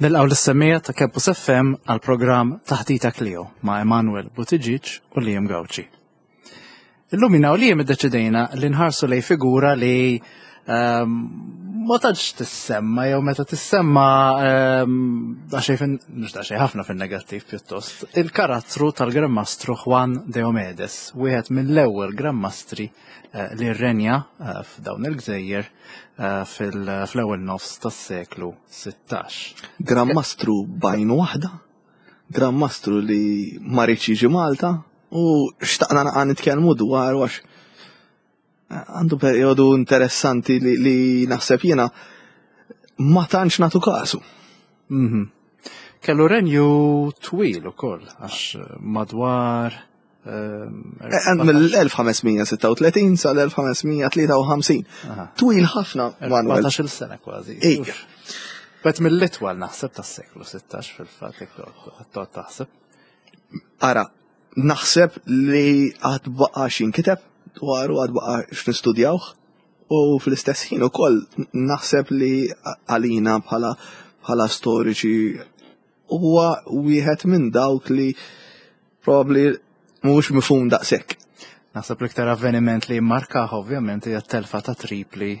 Nilqgħu lis-semmiegħa ta' Campus FM għal programm Taħdita Clio ma' Emanuel Buttigieg u Liam Gauci. Illum jina u Liam iddeċidejna li nħarsu lej figura li ehm, ma tantx tissemma jew meta tissemma ehm, daqsxejn mhux daqsxejn ħafna fin-negattiv pjuttost, il-karattru tal-Gran Mastru Juan Diomedes, wieħed mill-ewwel Gran Mastri eh, li rrenja eh, f'dawn il-gżejjer eh, fl-ewwel nofs tas-seklu 16. Gran Mastru bajn waħda, Gran Mastru li ma riedx jiġi Malta u xtaqna naqa' nitkellmu dwar għax għandu perjodu interessanti li, li naħseb jiena ma tantx nagħtu kasu. Mm -hmm. Kellu renju twil ukoll għax madwar Eh, mill-1536 sal-1553. Twil ħafna, Manuel. 14 sena kważi. Ejja. Bet mill-itwal naħseb tas-seklu 16 fil-fatt jekk toqgħod taħseb. Ara, naħseb li għad baqa' xinkiteb dwaru għad baqa' x'nistudjawh u fl-istess ħin ukoll naħseb li għalina bħala bħala storiċi huwa wieħed minn dawk li Probabbli mhuwiex mifhum daqshekk. Naħseb l-iktar avveniment li jimmarkah ovvjament hija t-telfa ta' Tripli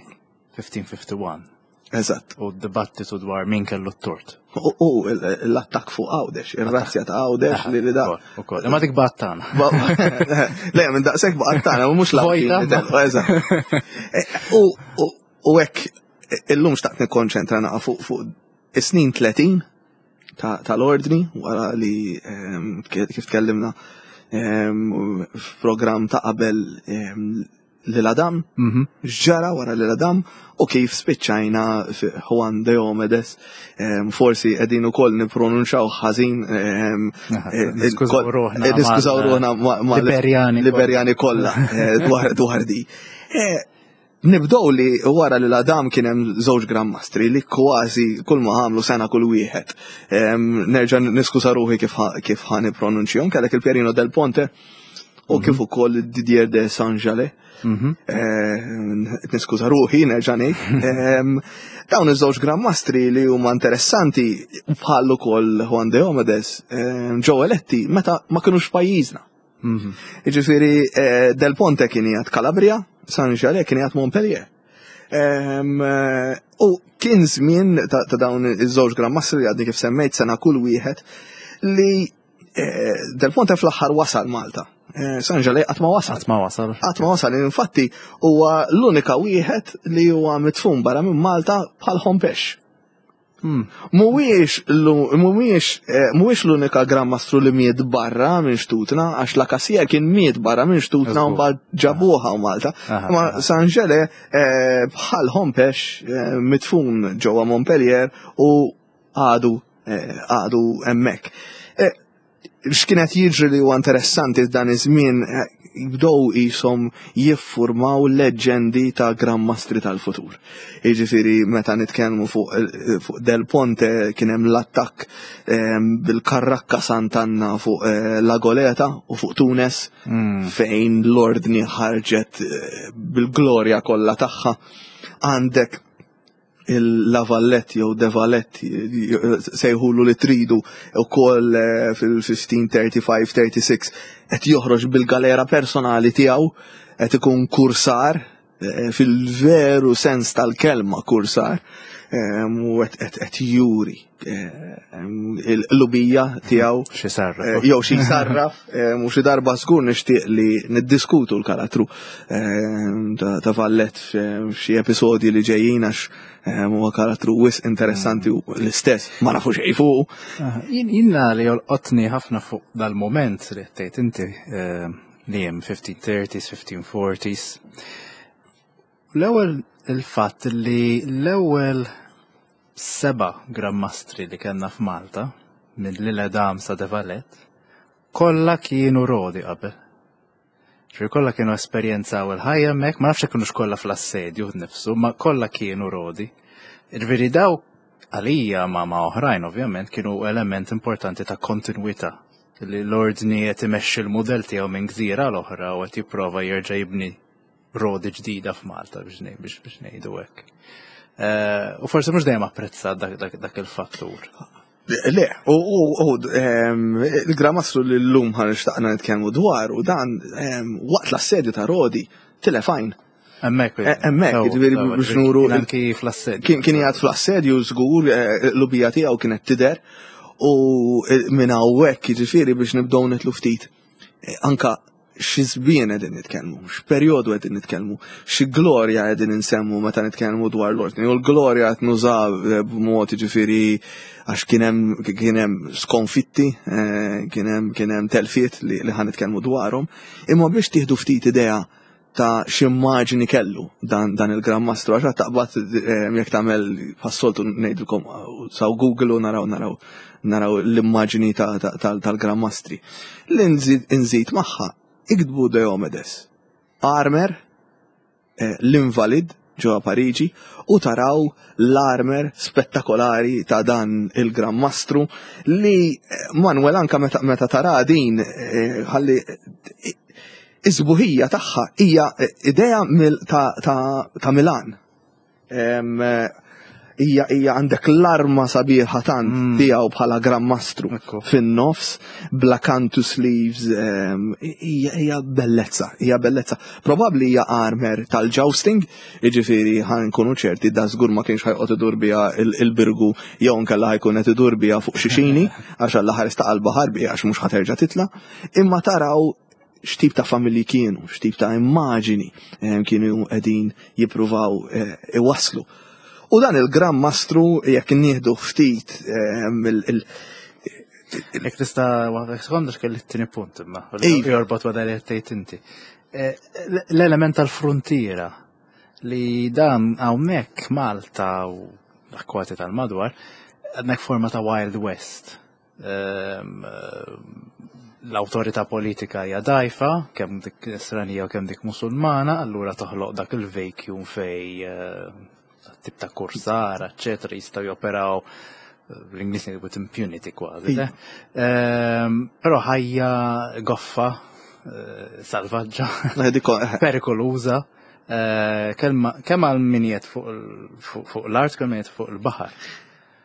1551. Eżatt. U d-dibattitu dwar min kellu t-tort. U l-attakk fuq Għawdex, ir-razzja ta' Għawdex li li da. Ukoll, imma dik battana. Le, minn daqshekk battana, mhux l Eżatt. E, u hekk illum xtaqt nikkonċentra naqa' fuq is-snin 30 tal-ordni wara li ehm, kif tkellimna ehm, f'programm ta' qabel ehm, lil Adam, mhm. x'ġara wara lil Adam u kif spiċċajna Juan de Omedes, forsi qegħdin ukoll nippronunċaw ħażin eh, niskużaw ruħna ma' Liberjani kollha eh, dwar di. Eh, Nibdew li wara li l-Adam kien hemm żewġ Gran Mastri li kważi kull ma għamlu sena kull wieħed. Nerġa' niskuża ruħi kif kif ħa nippronunċjhom, kellek il-Pierino del Ponte u kif mhm. ukoll Didier de Saint-Jalais. Mhm. Niskuża ruħi nerġa' ngħid. Dawn iż-żewġ Gran Mastri li huma interessanti bħal ukoll Juan de Omedes ġew eletti meta ma kinux pajjiżna. Mhm. Jiġifieri eh, Del Ponte kien jgħid Calabria, San Jalè kien jgħid Montpellier. Ehm, eh, u kien żmien ta' dawn iż-żewġ Gran Mastri li għadni kif semmejt sena kull wieħed li eh, Del Ponte fl-aħħar wasal Malta. San Jalè qatt ma wasal. Qatt ma wasal. Qatt ma wasal, infatti huwa l-unika wieħed li huwa mitfun barra minn Malta bħal Hompex. Hmm. Mhuwiex mhuwiex eh, mhuwiex l-unika Gran Mastru li miet barra minn xtutna, għax la Kasija kien miet barra minn xtutna u mbagħad ġabuha u Malta. Ma Sanġele eh, bħal Hompex eh, mitfun ġewwa Montpellier u għadu għadu hemmhekk. X'kien qed jiġri li huwa interessanti f'dan iż-żmien eh, jibdew qishom jiffurmaw leġġendi ta' Gran Mastri tal-futur. Jiġifieri meta nitkellmu fuq eh, fuq Del Ponte kien hemm l-attakk eh, bil-Karrakka Sant'Anna fuq La Goleta u fuq Tunes mm. fejn l-ordni ħarġet bil-glorja kollha tagħha. Għandek il-Lavallet jew Devalet sejħulu li tridu u koll eh, fil-1535-36 qed joħroġ bil-galera personali tiegħu qed ikun kursar eh, fil-veru sens tal-kelma kursar eh, u qed juri il-qlubija tiegħu. Xi sarraf. Eh, jew xi sarraf, eh, mhux xi darba żgur nixtieq li niddiskutu l-karattru eh, ta' Vallet f'xi episodji li ġejjin għax huwa karattru wisq interessanti u l-istess ma nafu xejn fuq. Ah, jien li jolqotni ħafna fuq dal-moment li tgħid inti li hemm 1530s, 1540s. L-ewwel il-fatt li l-ewwel Seba' Gran Mastri li kellna f'Malta, minn Lille Dam sa De Valette, kollha kienu rodi qabel. Ġifieri kollha kienu esperjenzaw il-ħajja hemmhekk, ma nafx jekk kinux kollha fl-assedju nnifsu, ma kollha kienu rodi. Ġifieri daw għalija ma ma oħrajn ovvjament kienu element importanti ta' kontinwità li l-ordni qed imexxi l-mudell tiegħu minn gżira l oħra u qed jipprova jerġa' jibni rodi ġdida f'Malta biex biex ngħidu hekk. Eh, u forsi mhux dejjem apprezzat dak il-fattur. Le, u il-Gran Mastru li l-lum ħa nixtaqna nitkellmu dwar u dan waqt l-assedju ta' Rodi tilef għajn. Hemmhekk. Eh, hemmhekk, jiġifieri biex nuru. Anki fl-assedju. Kien jgħad fl-assedju żgur, eh, l-ubija tiegħu kienet tidher u eh, minn hawnhekk jiġifieri biex nibdew nitlu ftit. Anka xi żmien qegħdin nitkellmu, x'perjodu qegħdin nitkellmu, xi glorja qegħdin insemmu meta nitkellmu dwar l-ordni. U l-glorja qed nuża b'mod jiġifieri għax kien hemm kien hemm skonfitti, kien hemm kien hemm telfiet li, li ħa nitkellmu dwarhom, imma biex tieħdu ftit idea ta' x'immaġni kellu dan, dan il-Gran Mastru, għax taqbad eh, jekk tagħmel passoltu ngħidilkom saw Google u naraw naraw naraw l-immaġni tal-Gran Mastri. Li nżid magħha iktbu Diomedes, armer, eh, l-invalid ġewwa Pariġi u taraw l-armer spettakolari ta' dan il-Gran Mastru li eh, Manuel anka meta, meta tara din ħalli Is-sbuħija tagħha hija idea ta' Milan. Hija hija għandek l-arma sabiħa tant mm. tiegħu bħala Gran Mastru fin-nofs bla cantu sleeves hija hija bellezza, hija bellezza. Probabbli hija armer tal-jousting, jiġifieri ħa nkunu ċerti da żgur ma kienx ħa joqgħod idur biha il-birgu jew nkella ħa jkun qed idur biha fuq xi xini għax Alla ħares ta' qalba biha għax mhux ħa terġa' titla'. Imma taraw x'tip ta' familji kienu, x'tip ta' immaġini eh, kienu qegħdin jippruvaw eh, iwasslu. U dan il-Gran Mastru jekk nieħdu ftit eh, il Jekk tista' waħda sekonda x'kelli t-tieni punt imma. Jorbot ma dan li tgħid inti. L-element tal-frontiera li dan hawnhekk Malta u l-akkwati tal-madwar għandek forma ta' Wild West. Ehm, l-awtorità politika hija dgħajfa, kemm dik Nisranija u kemm dik Musulmana, allura toħloq dak il-vacuum fej eh, tip ta' kursara, eċċetera, jistgħu joperaw eh, l-Ingliż ngħidu with impunity kważi. Ehm, però ħajja goffa, eh, salvaġġa, perikoluża, kemm għal min fuq l-art, kemm fuq il-baħar.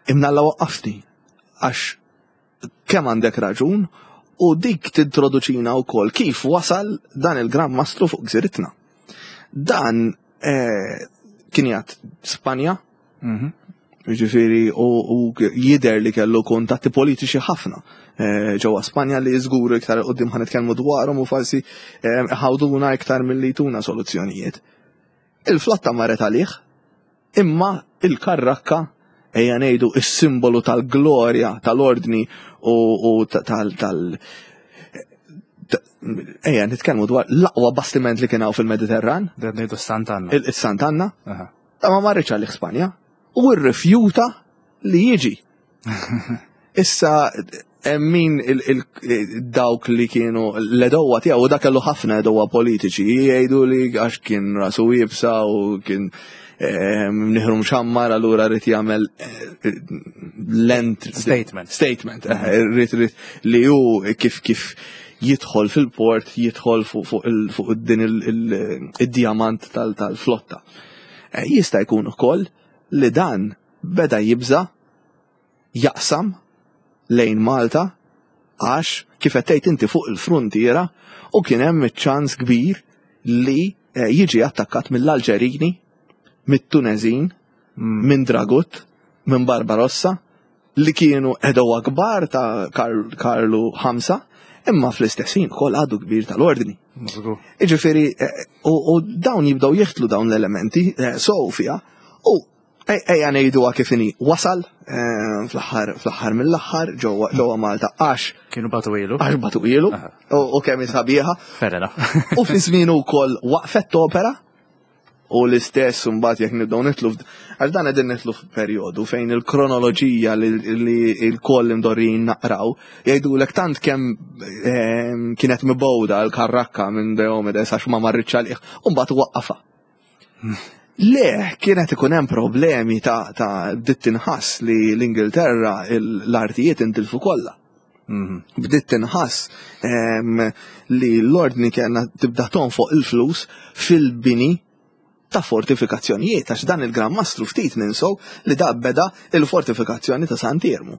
Imnalla waqqafni għax kemm għandek raġun u dik tintroduċina wkoll kif wasal dan il-Gran Mastru fuq gżiritna. Dan eh, kien jgħat Spanja, mhm. Ġifieri, u jider li kellu kuntatti politiċi ħafna eh, ġewwa Spanja li żgur iktar qudiem ħa nitkellmu dwarhom u forsi eh, ħawduna iktar milli tuna soluzzjonijiet. Il-flotta marret għalih, imma il-karrakka ejja ngħidu is-simbolu tal-glorja tal-ordni u tal tal ejja nitkellmu dwar l-aqwa bastiment li kien hawn fil-Mediterran. Dan ngħidu Sant'Anna. Il-Sant'Anna. Ta' ma marritx għalih Spanja u rrifjuta li jiġi. Issa min dawk li kienu l-edowa tiegħu u dak kellu ħafna edowa politiċi jgħidu li għax kien rasu iebsa u kien mnieħru mxammar allura rrid jagħmel eh, lent statement. Statement, eh, rrid li hu kif kif jidħol fil-port, jidħol fuq din id-diamant tal-flotta. Eh, jista' jkun ukoll li dan beda jibża jaqsam lejn Malta għax kif qed tgħid inti fuq il-fruntiera u kien hemm iċ-ċans kbir li eh, jiġi attakkat mill-Alġerini, mit-Tunezin, mm. minn Dragut, minn Barbarossa, li kienu edowa kbar ta' Karlu V, imma fl-istess ħin ukoll għadu kbir tal-ordni. Iġifieri, eh, u dawn jibdew jihtlu dawn l-elementi eh, Sofia u Ejja ngħiduha kif inhi, wasal eh, fl-aħħar fl-aħħar mill-aħħar ġewwa ġewwa Malta għax kienu batu ilu. Għax batu ilu u kemm sabiħa. Fair enough. U fi żmienu wkoll waqfet opera u l-istess mbagħad jekk nibdew nitlu għax dan qegħdin nitlu f'perjodu fejn il-kronoloġija li l-koll imdorrijin naqraw jgħidulek tant kemm ehm, kienet mibgħuda l-karrakka minn Diomedes għax ma marritx għalih u mbagħad waqqafha. Le, kienet ikun hemm problemi ta' ta' bdiet tinħass li l-Ingilterra l-artijiet intilfu kollha. Mhm. Bdiet tinħass ehm, li l-ordni kellna tibda tonfoq il-flus fil-bini. ta' fortifikazzjonijiet għax dan il-Gran Mastru ftit ninsow li da beda il-fortifikazzjoni ta' Sant'Iermu.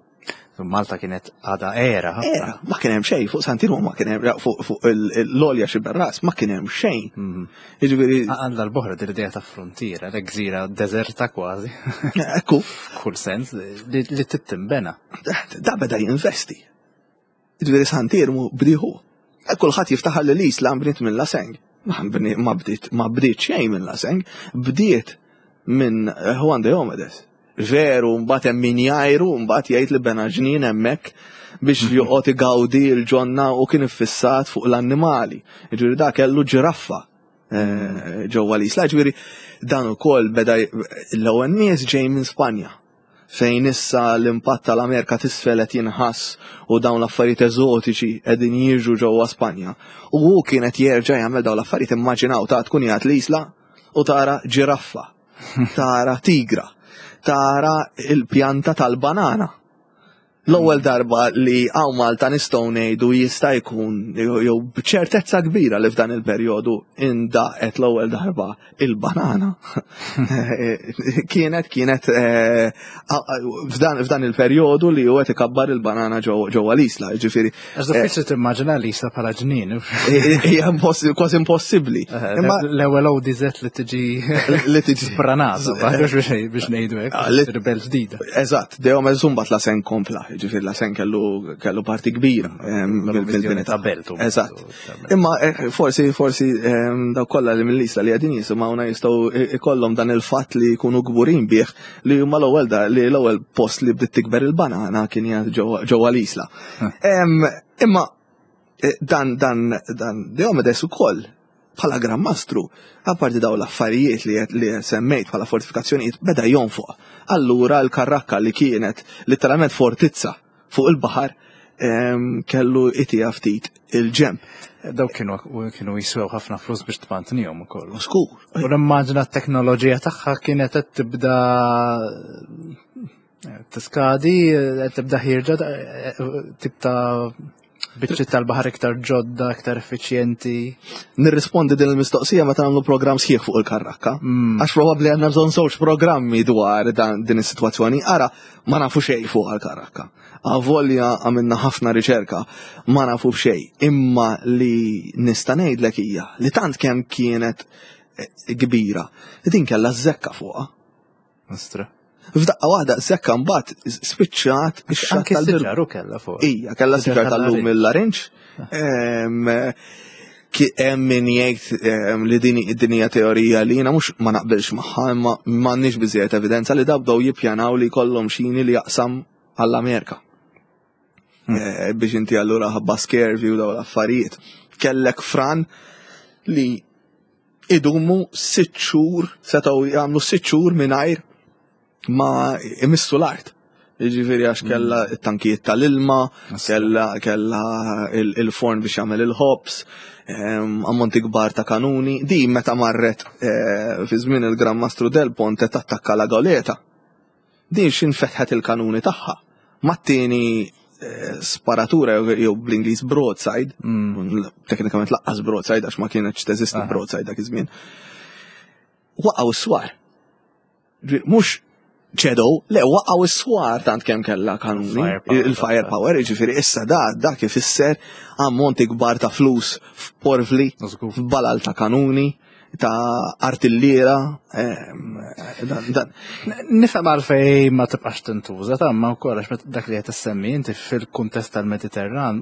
Malta kienet għada era. Era, ma kien hemm xejn fuq Sant'Iermu ma kien hemm fuq l-olja xi berras ma kien hemm xejn. Mhm. Jiġifieri għandha l-boħra din l-idea ta' frontiera, l gżira deżerta kważi. Ekku. F'kull sens li tittimbena. Da beda jinvesti. Jiġifieri Sant'Iermu bdieħu. Kulħadd jiftaħar li l-Isla nbniet minn Laseng. Ma bdiet ma bdiet xejn minn Laseng, bdiet minn Juan de Omedes. Veru, mbagħad hemm min jgħajru, mbagħad jgħid li bena ġnien hemmhekk biex mhm. joqgħod igawdi l-ġonna u kien iffissat fuq l-annimali. Ġifieri da kellu ġiraffa eh, ġewwa l-isla. Ġifieri dan ukoll beda l-ewwel nies ġej minn Spanja fejn issa l-impatt tal-Amerika t'isfel qed jinħass u dawn l-affarijiet eżotiċi qegħdin jiġu ġewwa Spanja. U hu kien qed jerġa' jagħmel dawn l-affarijiet immaġinaw ta' tkun qiegħed l-isla u tara ġiraffa, tara tigra, tara il-pjanta tal-banana. L-ewwel darba li hawn Malta nistgħu ngħidu jista' jkun jew b'ċertezza kbira li f'dan il-perjodu indaqet l-ewwel darba il-banana. Kienet kienet eh, f'dan il-perjodu li huwa ikabbar il-banana ġewwa l-isla, jiġifieri. Għax diffiċli eh, timmaġina l-isla bħala ġnien. Hija kważi impossibbli. Eh, Imma l-ewwel ODZ li tiġi li tiġi spranata, biex ngħidu hekk, ah, ribel ġdida. Eżatt, dejjem eżum bat la sen kompla, ġifier la sen kellu kellu parti kbira bil-bini ta' beltu. Eżatt. Imma eh, forsi forsi daw kollha li mill-isla li qegħdin jisimgħuna jistgħu ikollhom dan il-fatt li jkunu kburin bih li huma l-ewwel da li l-ewwel post li bdiet tikber il-banana kien ġewwa l-isla. Imma eh, dan dan dan Diomedes ukoll bħala Gran Mastru, apparti daw l-affarijiet li, li semmejt bħala fortifikazzjonijiet, beda jonfoq. Allura l-karrakka li kienet letteralment fortizza fuq il-baħar kellu itija ftit il-ġemp. Daw kienu kienu jiswew ħafna flus biex tmantnihom ukoll. Skur. U nimmaġina t-teknoloġija tagħha kienet qed tibda tiskadi, qed tibda ħirġa tip ta' biċċi tal-baħar iktar ġodda, iktar effiċjenti. Nirrispondi din il-mistoqsija meta nagħmlu programm sħiħ fuq il-karrakka. Mm. Għax probabbli għandna bżonn żewġ programmi dwar din is-sitwazzjoni. Ara, ma nafu xejn fuq il-karrakka. Avolja għamilna ħafna riċerka, ma nafu xejn. Imma li nista' ngħidlek hija li tant kemm kienet eh, kbira, din kellha żekka fuqha. Nostra. F'daqqa waħda sekka mbagħad spiċċat ix-xatt tal-siġar u kellha fuq. Ija, kellha siġar tal-lum il-larinġ. Hemm min jgħid li din din hija teorija li jiena mhux ma naqbilx magħha imma m'għandniex biżejjed evidenza li dabdew jippjanaw li jkollhom xini li jaqsam għall-Amerika. Hmm. Eh, biex inti allura ħabba skervi u daw l-affarijiet. Kellek fran li idumu sitt xhur, setgħu jagħmlu sitt xhur mingħajr ma imissu l-art. Jiġifieri għax kella mm. t-tankijiet tal-ilma, kella kella il-forn biex jagħmel il-ħobs, ehm, ammonti kbar ta' kanuni. Di meta marret eh, fi żmien il-Gran Mastru Del Ponte tattakka la Goleta. Din x'in fetħet il-kanuni tagħha. Mat-tieni eh, sparatura jew bl-Ingliż broadside, mm. teknikament laqqas broadside għax ma kienx teżisti broadside dak iż-żmien. Waqgħu s-swar. Mhux ċedow, le waqgħu s-swar tant kemm kellha kanuni, il-firepower, jiġifieri issa da dak ifisser ammonti kbar ta' flus f'porvli, f'balal ta' kanuni ta' artilliera. Nifhem għalfej ma tibqax tintuża ta' ma wkoll għax dak li qed issemmi inti fil-kuntest tal-Mediterran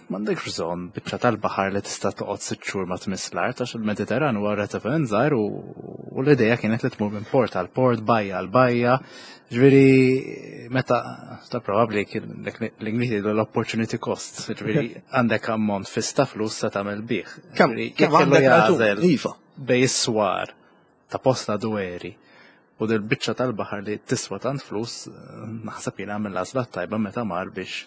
m'għandekx bżonn biċċa tal-baħar li tista' toqgħod sitt xhur ma tmiss l-art għax il-Mediterran huwa relativament żgħir u l-idea kienet li tmur minn port għal port, bajja għal bajja. Ġifieri meta ta' probabbli l-Ingliż jgħidu l-opportunity cost, ġifieri għandek ammont fiss ta' flus se tagħmel bih. Kemm kellu jagħżel iva. bej is-swar ta' posta dweri u dil biċċa tal-baħar li tiswa tant flus naħseb jien għamel l-għażla tajba meta mar biex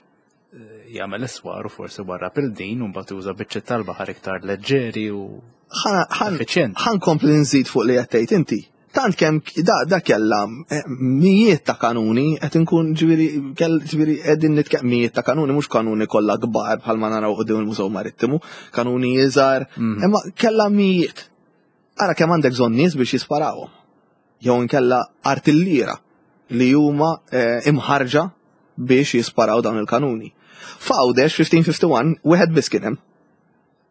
eh, jagħmel iswar u forsi warra pil din u mbagħad juża biċċiet tal-baħar iktar leġġeri u effiċjenti. Ħan kompli nżid fuq li qed tgħid inti. Tant kemm da, da kella eh, mijiet ta' kanuni qed inkun ġifieri ġifieri qegħdin nitkellem mijiet ta' kanuni mhux kanuni kollha kbar bħalma naraw qudiem il-Mużew Marittimu, kanuni iżgħar, mhm. imma kella mijiet. Ara kemm għandek bżonn nies biex jisparawhom. Jew inkella artilliera li huma eh, imħarġa biex jisparaw dawn il-kanuni. F'Għawdex 1551 wieħed biss kien hemm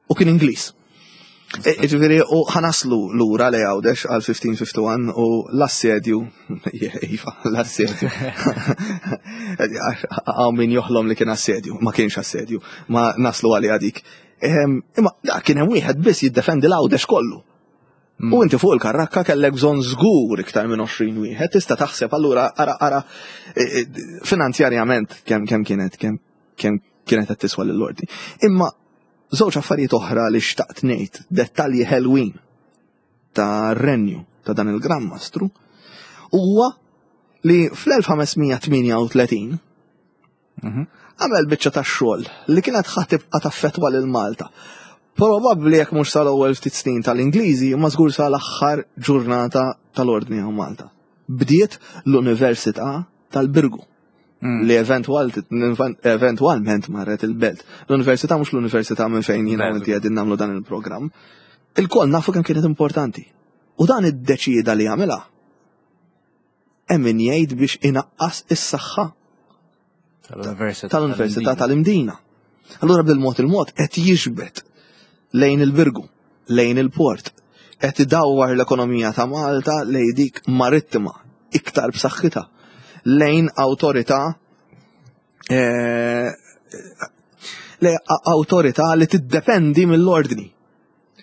u kien Ingliż. E, ġifieri u ħanaslu lura li Għawdex għal 1551 u l-assedju, iva, l-assedju. Għaw min joħlom li kien assedju, ma kienx assedju, ma naslu għalli dik. Imma da kien hemm wieħed biss jiddefendi l-Għawdex kollu. Mm. U inti fuq il-karrakka kellek bżonn żgur iktar minn 20 wieħed, tista' taħseb allura ara ara e, e, finanzjarjament kemm kemm kienet kemm kemm kienet qed tiswa lill-ordni. Imma żewġ affarijiet oħra li xtaqt ngħid, dettalji ħelwin ta' renju ta' dan il-Gran Mastru huwa li fl-1538 Mhm. Għamel biċċa ta' xogħol li kienet ħa tibqa' taffettwa lil Malta. Probabbli jekk mhux sal-ewwel ftit snin tal-Ingliżi, ma żgur sal-aħħar ġurnata tal-Ordni hawn Malta. Bdiet l-Università tal-Birgu. Mm. li eventwalment marret il-belt. L-università mhux l-università minn fejn jiena inti qegħdin nagħmlu dan il-programm. Il-koll nafu kemm kienet importanti. U dan iddeċieda li jagħmilha Hemm min jgħid biex inaqqas is-saħħa tal-Università tal-Imdina. Allura bil-mod il-mod qed jiġbed lejn il-Birgu, lejn il-port, qed idawwar l-ekonomija ta' Malta lejn dik marittima iktar b'saħħitha, lejn awtorità eh, lejn awtorità li tiddependi mill-ordni.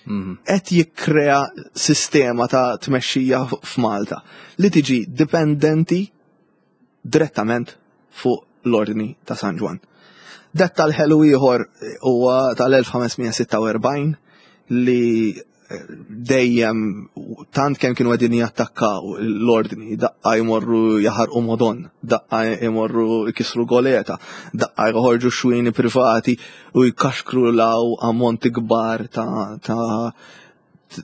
Mhm. Qed jikkrea sistema ta' tmexxija f'Malta li tiġi dipendenti direttament fuq l-ordni ta' San Ġwann. Dettal ħelu ieħor huwa tal-1546 li dejjem tant kemm kienu qegħdin jattakkaw l-ordni, daqqa jmorru jaħarqu modon, daqqa jmorru jkissru goleta, daqqa joħorġu xwini privati u jkaxkru law ammonti kbar ta' ta'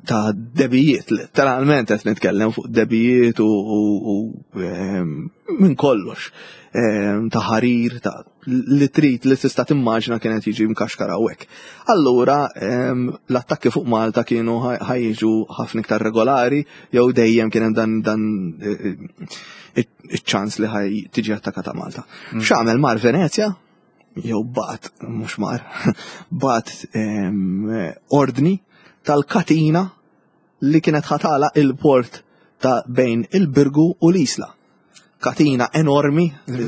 ta' debijiet, letteralment qed nitkellem fuq debijiet u, u, u ehm, minn kollox, ehm, ta' ħarir, ta' li trid li tista' timmaġna kienet jiġi mkaxkar hawnhekk. Allura ehm, l-attakki fuq Malta kienu ħajġu ħafna iktar regolari jew dejjem kien hemm dan dan eh, eh, iċ-ċans li ħaj tiġi attakata Malta. Mm. X'għamel mar Venezja? Jew bat, mhux mar, bat ordni tal-katina li kienet ħatala il-port ta' bejn il-Birgu u l-Isla. Katina enormi.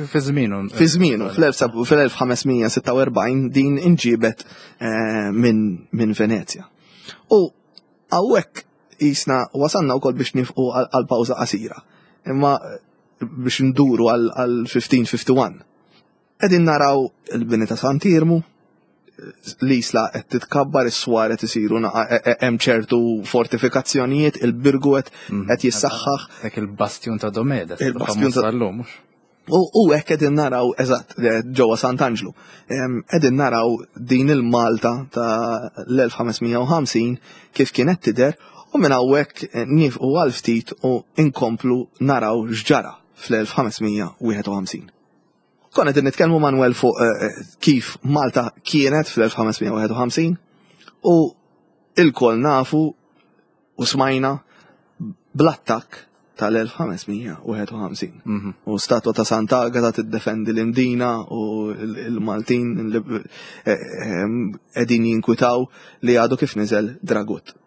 Fi żmienu. Fi żmienu, fl-1546 din inġibet eh, minn Venezja. U hawnhekk jisna wasanna wkoll biex nifqu għal pawża qasira. Imma biex nduru għal 1551. Qegħdin naraw il-bini ta' Sant'Iermu, l-isla qed titkabbar, is-swar qed isiru e, e, hemm ċertu fortifikazzjonijiet, il-birgu qed mm. qed jissaħħaħ. Dak il-bastjun ta' Domeda, il-bastjun ta' l-lum. U hekk qegħdin naraw eżatt ġewwa Sant'Anġlu. Qegħdin naraw din il-Malta ta' l-1550 kif kienet tidher u minn hawnhekk eh, nifqu għal ftit u inkomplu naraw x'ġara fl-1551. Konna qegħdin nitkellmu Manuel fuq eh, eh, kif Malta kienet fl-1551 u il-kol nafu u smajna bl-attakk tal-1551. Mhm. U statwa ta' Santa Agata tiddefendi l-Imdina u l-Maltin eh, qegħdin jinkwitaw li għadu kif niżel Dragut.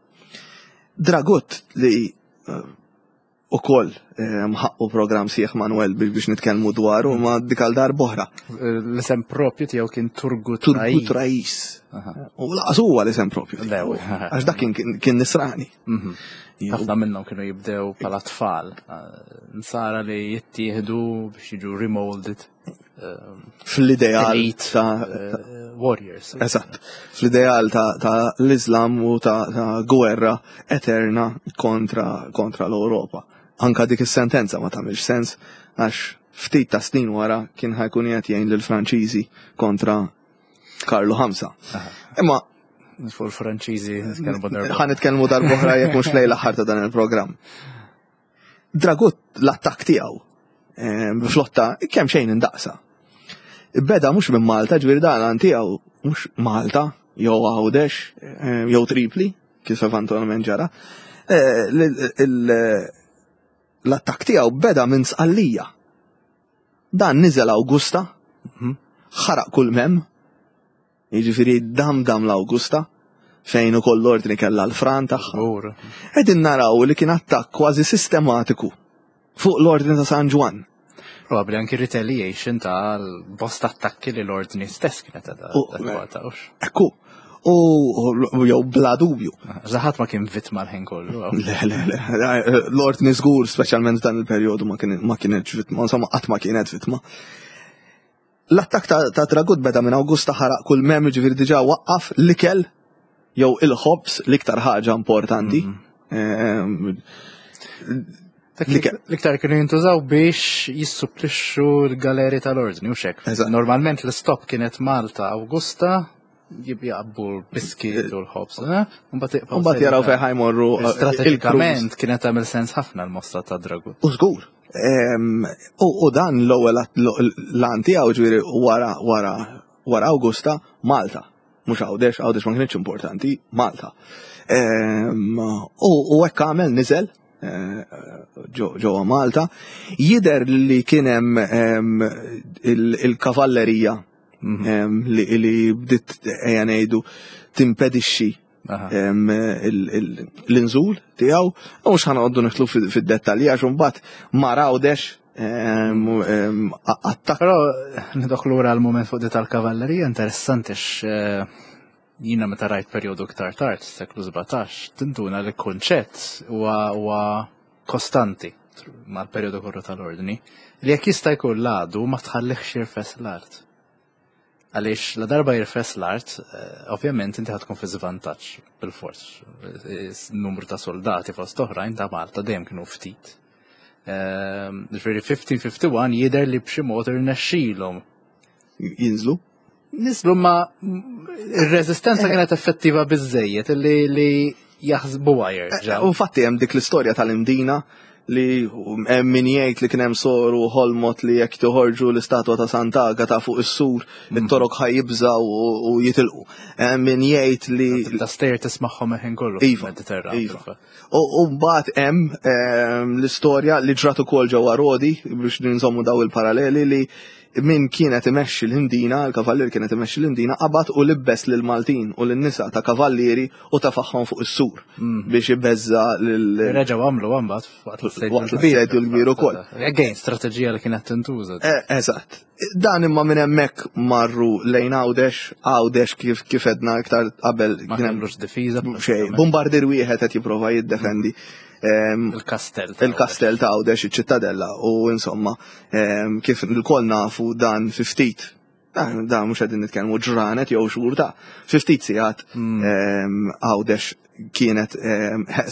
Dragut li ukoll ħaqqu programm sieħ Manuel biex nitkellmu dwaru ma dik għal darb'oħra. L-isem propju tiegħu kien Turgut Turgut Rais. U laqas huwa l-isem propju. Għax dak kien nisrani. Mhm. Ħafna minnhom kienu jibdew bħala tfal. Eh, nsara li jittieħdu biex jiġu remolded. Eh, Fl-ideal ta' eh, warriors. Eżatt. Fl-ideal ta' l-Islam u ta' gwerra eterna kontra kontra l-Ewropa. Anka dik is-sentenza ma tagħmilx sens għax ftit ta' snin wara kien ħajkun qed jgħin lill-Franċiżi kontra Karlu Ħamsa. Imma Fuq il-Franċiżi nitkellmu darba. Ħa nitkellmu darba jekk mhux lejl aħħar ta' dan il-programm. Dragut l-attakk tiegħu eh, flotta kemm xejn indaqsa. Beda mhux minn Malta, ġifieri dan għan tiegħu mhux Malta, jew Għawdex, eh, jew Tripli, kif eventualment ġara. Eh, l-attakk tiegħu beda minn Sqallija. Dan niżel Awgusta, mhm. ħaraq kull mem, jiġifieri dam dam l-Awgusta, fejn ukoll l-ordni kellha l-fran tagħha. Qegħdin naraw li kien attakk kważi sistematiku fuq l-ordni ta' San Ġwann. Probabbli anki retaliation ta' bosta attakki li l-ordni stess kienet għadha. Ekku, u jew bla dubju. Zaħat ma kien vittma l-ħin kollu. Le, le, le, l-ordni żgur, speċjalment f'dan il-perjodu ma kienet vittma, insomma qatt ma kienet vittma. L-attakk ta' Dragut beda minn Awgusta ħaraq kull mem ġifieri diġà waqqaf l-ikel jew il-ħobż l-iktar ħaġa importanti. Mhm. Ehm, L-iktar kienu jintużaw biex jissupplixxu l-galeri tal-ordni u xek. Normalment l-istop kienet Malta Awgusta, jibjaqbu l-biskit u l-ħobż. Eh? Mbagħad jaraw fejn ħajmorru. Eh, Strateġikament kienet tagħmel sens ħafna l-mossa ta' Dragut. U żgur. U dan l-ewwel l-għan tiegħu ġifieri wara wara wara Awgusta Malta. Mhux Għawdex, Għawdex ma kienx importanti, Malta. U hekk għamel niżel eh, ġewwa Malta. Jidher li kien hemm il-kavallerija mhm. li bdiet ejja ngħidu timpedixxi l-inżul tiegħu, u mhux ħanoqogħdu nidħlu fid-dettalji għax imbagħad ma rawdex attakk. Però nidħlu lura l-mument fuq di tal-kavallerija interessanti eh, jina meta rajt perjodu iktar tard, seklu 17, tinduna li kunċett huwa kostanti mal-perjodu kollu tal-ordni, li jekk jista' jkun l-għadu ma tħallihx jirfes l-art. Għaliex la darba jirfes l-art, eh, ovvjament inti tkun fi żvantaġġ bil-fors. Numru ta' soldati fost oħrajn ta' Malta dejjem kienu ftit. Ehm, ġifieri 1551 jidher li b'xi mod irnexxilhom. Jinżlu? Nislu ma ir-reżistenza kienet effettiva biżejjed li li jaħsbu jerġa'. Eh, u fatti hemm dik l-istorja tal-Imdina li hemm min jgħid li kien hemm soru ħolmot li jekk toħorġu l-istatwa ta' Sant'Agata fuq is-sur, mm. it-torok ħajibżaw u jitilqu. Hemm min jgħid li ta' stejjer tismagħhom ħin kollu iva, iva. U mbagħad hemm ehm, l-istorja li ġrat ukoll ġewwa Rodi biex ninżommu daw il-paralleli li min kienet imexxi l-Imdina, il-kavallier kienet imexxi l-Imdina, qabad u libbes lil Maltin u lin-nisa ta' kavallieri u tafaħħom fuq is-sur mm. biex ibeżza lil. Reġgħu għamlu mbagħad waqt l-sajd l-kbir ukoll. Again, strateġija li kienet tintuża. Eh, eżatt. Dan imma minn hemmhekk marru lejn Għawdex, Għawdex kif kif edna iktar qabel. Ma kellux difiża. Xejn, bombardier wieħed qed jipprova jiddefendi. Ehm, il-kastell. Il-kastell ta' Għawdex, iċ-ċittadella u insomma, ehm, kif l-koll nafu dan fi ftit dan mhux qegħdin nitkellmu ġranet jew xhur ta' fi ftit sigħat hmm. ehm, Għawdex kienet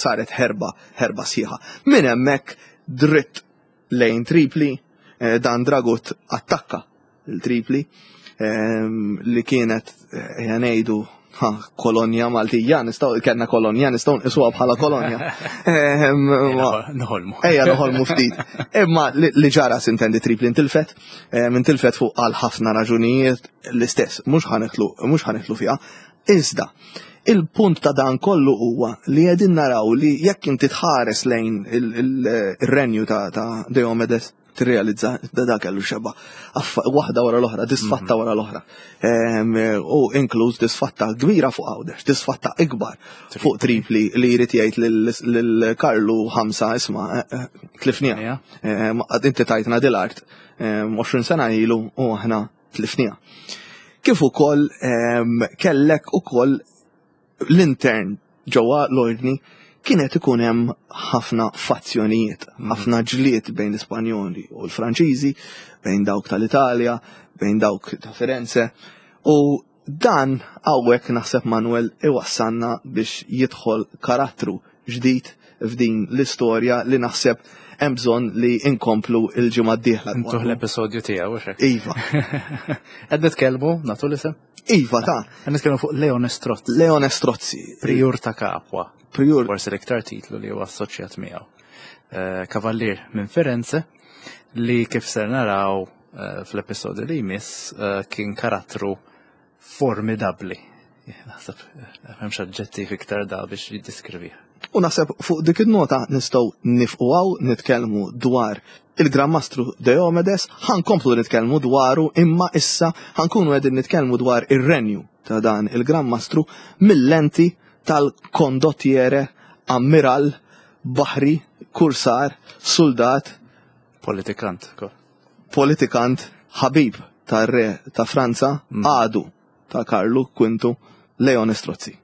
saret ħerba, ħerba sħiħa. Minn hemmhekk dritt lejn Tripli, eh, dan Dragut attakka l-Tripli ehm, li kienet eh, ngħidu kolonja Maltija, nistgħu kellna kolonja, nistgħu nqisuha bħala kolonja. Ehm, noħolmu. Ejja noħolmu ftit. Imma li ġara sintendi Tripli intilfet, ehm, intilfet fuq għal ħafna raġunijiet l-istess, mhux ħanitlu fiha. Iżda, il-punt ta' dan kollu huwa li qegħdin naraw li jekk inti tħares lejn ir-renju ta' Diomedes tirrealizza da da kellu xeba waħda wara l-oħra, disfatta mhm. wara l-oħra. Ehm, u inkluż disfatta kbira fuq Għawdex, disfatta ikbar fuq Tripli li jrid jgħid lil Karlu ħamsa isma' eh, eh, tlifniha. Ehm, inti tajtna dil-art 20 ehm, sena ilu u aħna tlifniha. Kif ukoll ehm, kellek ukoll l-intern ġewwa l-ordni kienet ikun hemm ħafna fazzjonijiet, mhm. ħafna ġlied bejn l-Ispanjoli u l-Franċiżi, bejn dawk tal-Italja, bejn dawk ta' Firenze. U dan hawnhekk naħseb Manuel iwassalna biex jidħol karattru ġdid f'din l-istorja li naħseb hemm bżonn li inkomplu l-ġimgħa d-dieħla. Intuh l-episodju tiegħu hekk. Iva. Qed nitkellmu nagħtu l-isem? Iva ta'. Qed nitkellmu fuq Leone Strozzi. Leone Strozzi. Prijur ta' Capua. Prijur. Forsi l-iktar titlu li huwa assoċjat miegħu. Eh, Kavallier minn Firenze li kif ser naraw eh, fl-episodju li jmiss eh, kien karattru formidabbli. Naħseb, m'hemmx aġġettiv iktar da biex jiddiskrivih. U naħseb fuq dik in-nota nistgħu nifqu hawn nitkellmu dwar il-Gran Mastru Diomedes, ħankomplu nitkellmu dwaru imma issa ħankunu qegħdin nitkellmu dwar ir-renju ta' dan il-Gran Mastru mill-lenti tal-kondottiere, ammiral, baħri, kursar, suldat, Politikant. Politikant, ħabib tar-re ta' Franza, għadu ta' Karlu Kwintu, Leone Strozzi.